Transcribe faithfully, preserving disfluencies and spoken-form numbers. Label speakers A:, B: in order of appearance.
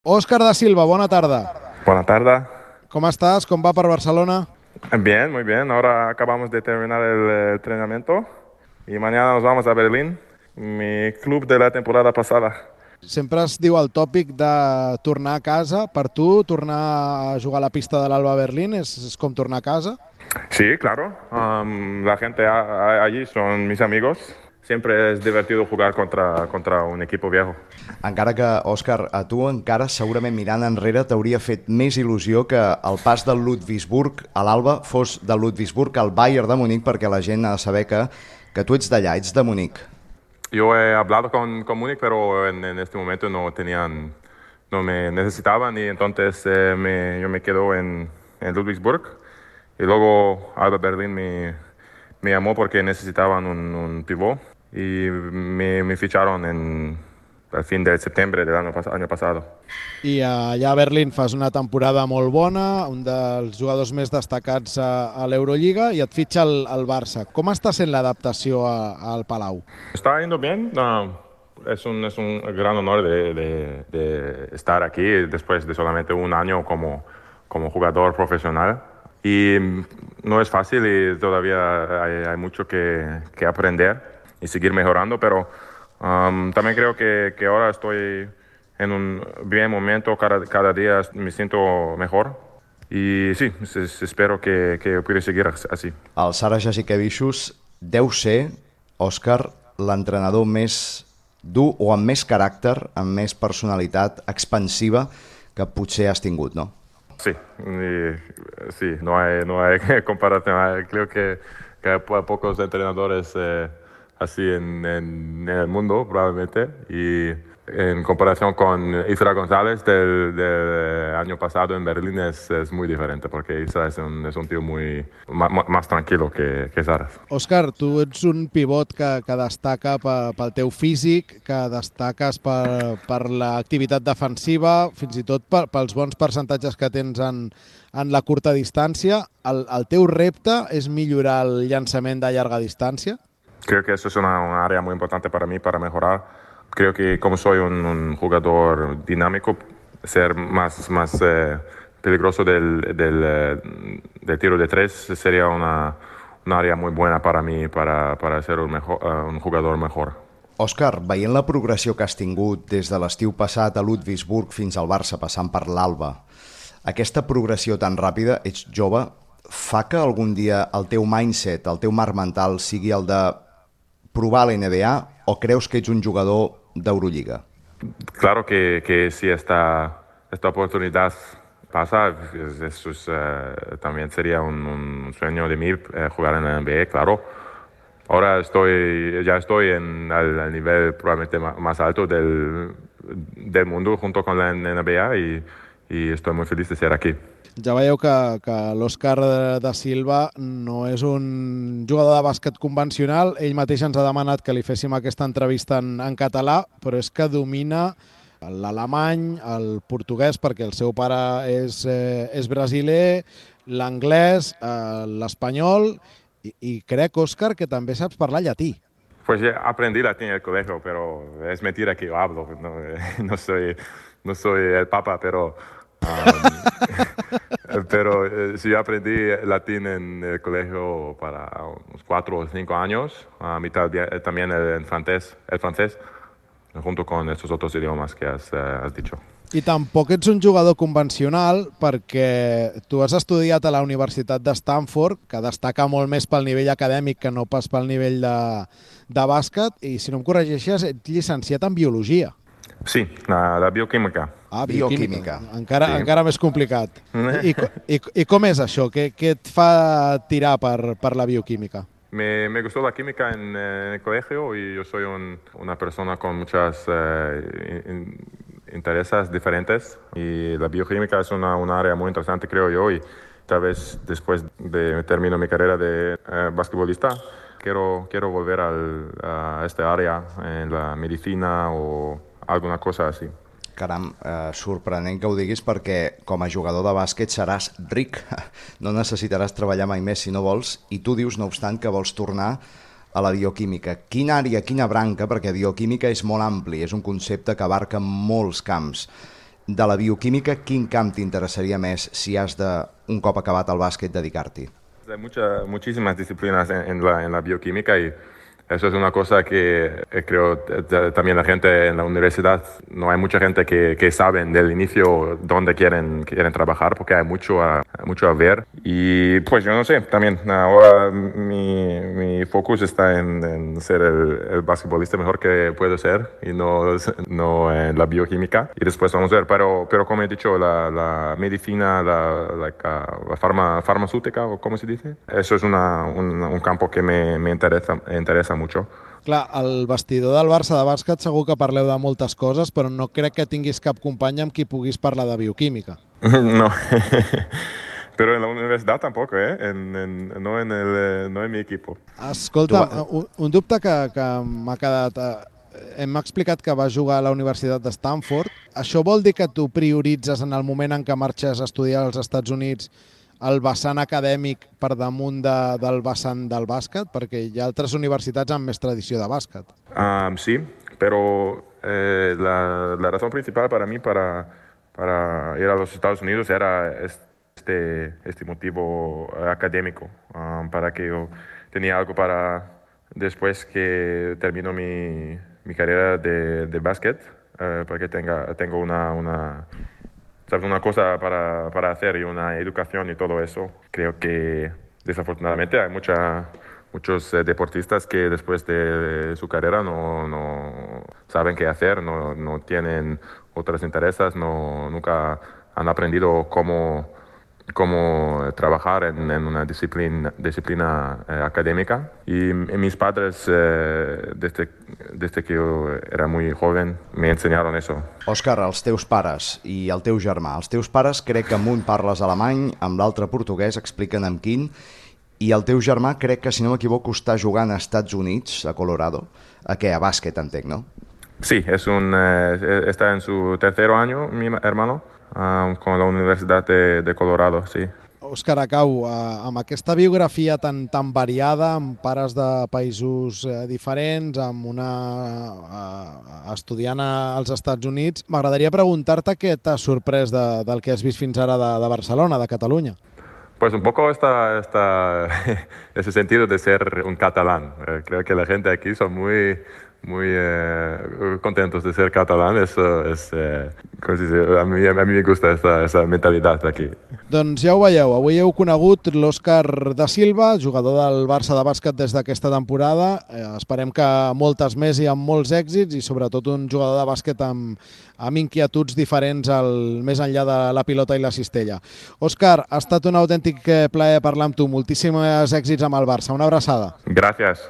A: Óscar da Silva, bona tarda.
B: Buenas tardes.
A: Com estàs? Com va per Barcelona?
B: Bien, muy bien. Ahora acabamos de terminar el eh, entrenamiento y mañana nos vamos a Berlín, mi club de la temporada pasada.
A: Sempre es diu el tòpic de tornar a casa. Per tu, tornar a jugar a la pista de l'Alba Berlín és, és com tornar a casa?
B: Sí, claro. Am, la gente a- a- allí son mis amigos. Siempre es divertido jugar contra, contra un equipo viejo.
C: Encara que, Òscar, a tu encara segurament mirant enrere t'hauria fet més il·lusió que el pas del Ludwigsburg a l'Alba fos del Ludwigsburg al Bayern de Munic, perquè la gent ha de saber que, que tu ets d'allà, ets de Munic.
B: Yo he hablado con, con Múnich, pero en, en este momento no tenían, no me necesitaban y entonces eh, me, yo me quedo en, en Ludwigsburg. Y luego Alba Berlín me, me llamó porque necesitaban un, un pivot y me, me ficharon en, al fin de septiembre del año, pas año pasado.
A: I allà a Berlín fas una temporada molt bona, un dels jugadors més destacats a, a l'Eurolliga, i et fitxa el, el Barça. Com està sent l'adaptació a- al Palau?
B: Está yendo bien. No, es un, es un gran honor de, de, de estar aquí después de solamente un año como, como jugador profesional. Y no es fácil y todavía hay, hay mucho que, que aprender y seguir mejorando, pero um, también creo que, que ahora estoy en un bien momento, cada, cada día me siento mejor. Y sí, es- es- espero que, que pueda seguir así.
C: El Sara Jasikevičius deu ser, Òscar, l'entrenador més dur o amb més caràcter, amb més personalitat expansiva que potser has tingut, no?
B: Sí, y, sí, no hay, no hay comparación. Hay- Creo que, que hay po- pocos entrenadores eh, así en, en, en el mundo, probablemente. Y en comparación con Isra González del, del año pasado en Berlín es, es muy diferente, porque Isra es un, es un tío muy ma- ma- más tranquilo que, que Sara.
A: Òscar, tu ets un pivot que, que destaca pe- pel teu físic, que destaques per, per l'activitat defensiva, fins i tot per, pels bons percentatges que tens en, en la curta distància. El, el teu repte és millorar el llançament de llarga distància?
B: Creo que eso es una, una área muy importante para mí, para mejorar. Creo que como soy un, un jugador dinámico, ser más, más eh, peligroso del, del, eh, del tiro de tres sería una, una área muy buena para mí, para, para ser un, mejor, eh, un jugador mejor.
C: Òscar, veient la progressió que has tingut des de l'estiu passat a Ludwigsburg fins al Barça, passant per l'Alba, aquesta progressió tan ràpida, ets jove, fa que algun dia el teu mindset, el teu marc mental sigui el de provar la N B A o creus que ets un jugador d'Eurolliga?
B: Claro que, que si esta, esta oportunidad pasa, es- eso es, eh, también sería un, un sueño de mí eh, jugar en la N B A, claro. Ahora estoy, ya estoy en, al, al nivel probablemente ma- más alto del, del mundo junto con la N B A y, y estoy muy feliz de ser aquí.
A: Ja veieu que, que l'Òscar da Silva no és un jugador de bàsquet convencional. Ell mateix ens ha demanat que li féssim aquesta entrevista en, en català, però és que domina l'alemany, el portuguès, perquè el seu pare és, eh, és brasiler, l'anglès, eh, l'espanyol, i, i crec, Òscar, que també saps parlar llatí.
B: Pues ya aprendí latín en el colegio, pero es mentira que yo hablo. No, no soy, no soy el papa, pero, um, pero eh, sí aprendí latín en el colegio para unos cuatro o cinco años. A mitad de- también el, el francés, el francés, junto con estos otros idiomas que has, eh, has dicho.
A: I tampoc ets un jugador convencional perquè tu has estudiat a la Universitat de Stanford, que destaca molt més pel nivell acadèmic que no pas pel nivell de, de bàsquet, i si no em corregeixes, ets llicenciat en Biologia.
B: Sí, la, la bioquímica.
A: Ah,
C: Bioquímica.
A: Encara,
B: Sí.
A: encara més complicat. I, i, I com és això? Què, què et fa tirar per, per la bioquímica?
B: Me, me gustó la química en, eh, en el colegio y yo soy un- una persona con muchas eh, in- intereses diferentes y la bioquímica es una, una área muy interesante, creo yo, y tal vez después de termino mi carrera de eh, basquetbolista, quiero, quiero volver al- a esta área en la medicina o alguna cosa así.
C: Caram, eh, sorprenent que ho diguis perquè com a jugador de bàsquet seràs ric, no necessitaràs treballar mai més si no vols, i tu dius, no obstant, que vols tornar a la bioquímica. Quina àrea, quina branca, perquè bioquímica és molt ampli, és un concepte que abarca molts camps. de la bioquímica, quin camp t'interessaria més si has de, un cop acabat el bàsquet, dedicar-t'hi?
B: Hay mucha, muchísimas disciplinas en, en, la, en la bioquímica y eso es una cosa que eh, creo eh, también la gente en la universidad, no hay mucha gente que, que saben del inicio dónde quieren, quieren trabajar porque hay mucho a, mucho a ver. Y pues yo no sé, también ahora mi, mi focus está en, en ser el, el basquetbolista mejor que puedo ser y no, no en la bioquímica. Y después vamos a ver, pero, pero como he dicho, la, la medicina, la, la, la farma, farmacéutica, o ¿cómo se dice? Eso es una, un, un campo que me, me interesa, interesa mucho.
A: Clar, al vestidor del Barça de bàsquet segur que parleu de moltes coses, però no crec que tinguis cap company amb qui puguis parlar de bioquímica.
B: No, pero en la universidad tampoco, ¿eh? En, en, no, en el, no en mi equipo.
A: Escolta, un, un dubte que, que m'ha quedat... Hem explicat que vas jugar a la Universitat de Stanford. Això vol dir que tu prioritzes en el moment en què marxes a estudiar als Estats Units el vessant acadèmic per damunt de, del vessant del bàsquet? Perquè hi ha altres universitats amb més tradició de bàsquet.
B: Um, sí, pero eh, la, la razón principal para mí para, para ir a los Estados Unidos era este, este motivo académico, um, para que yo tenía algo para después que termino mi, mi carrera de, de básquet, uh, para que tenga, tengo una... una ¿sabes? Una cosa para, para hacer y una educación y todo eso. Creo que desafortunadamente hay mucha, muchos eh, deportistas que después de su carrera no, no saben qué hacer, no, no tienen otros intereses, no, nunca han aprendido cómo, cómo trabajar en, en una disciplina, disciplina eh, académica. Y, y mis padres, eh, desde, desde que yo era muy joven, me enseñaron eso.
C: Òscar, els teus pares i el teu germà. Els teus pares crec que amb un parles alemany, amb l'altre portuguès, expliquen amb quin, i el teu germà crec que, si no m'equivoco, està jugant als Estats Units, a Colorado. A què? A bàsquet, entenc, no?
B: Sí, es un, eh, está en su tercer año, mi hermano, um, con la Universidad de, de Colorado, sí.
A: Òscar, acabo, eh, amb aquesta biografia tan, tan variada, amb pares de països eh, diferents, amb una eh, estudiant als Estats Units, m'agradaria preguntar-te què t'ha sorprès de, del que has vist fins ara de, de Barcelona, de Catalunya.
B: Pues un poco esta, esta, ese sentido de ser un catalán. Eh, creo que la gente aquí son muy... muy eh, contentos de ser catalán, eso es, eh, com si dice, a, mi, a mi me gusta esa, esa mentalitat aquí.
A: Doncs ja ho veieu, avui heu conegut l'Òscar da Silva, jugador del Barça de bàsquet des d'aquesta temporada. Eh, esperem que moltes més i amb molts èxits, i sobretot un jugador de bàsquet amb, amb inquietuds diferents al, més enllà de la pilota i la cistella. Òscar, ha estat un autèntic plaer parlar amb tu. Moltíssims èxits amb el Barça. Una abraçada.
B: Gràcies.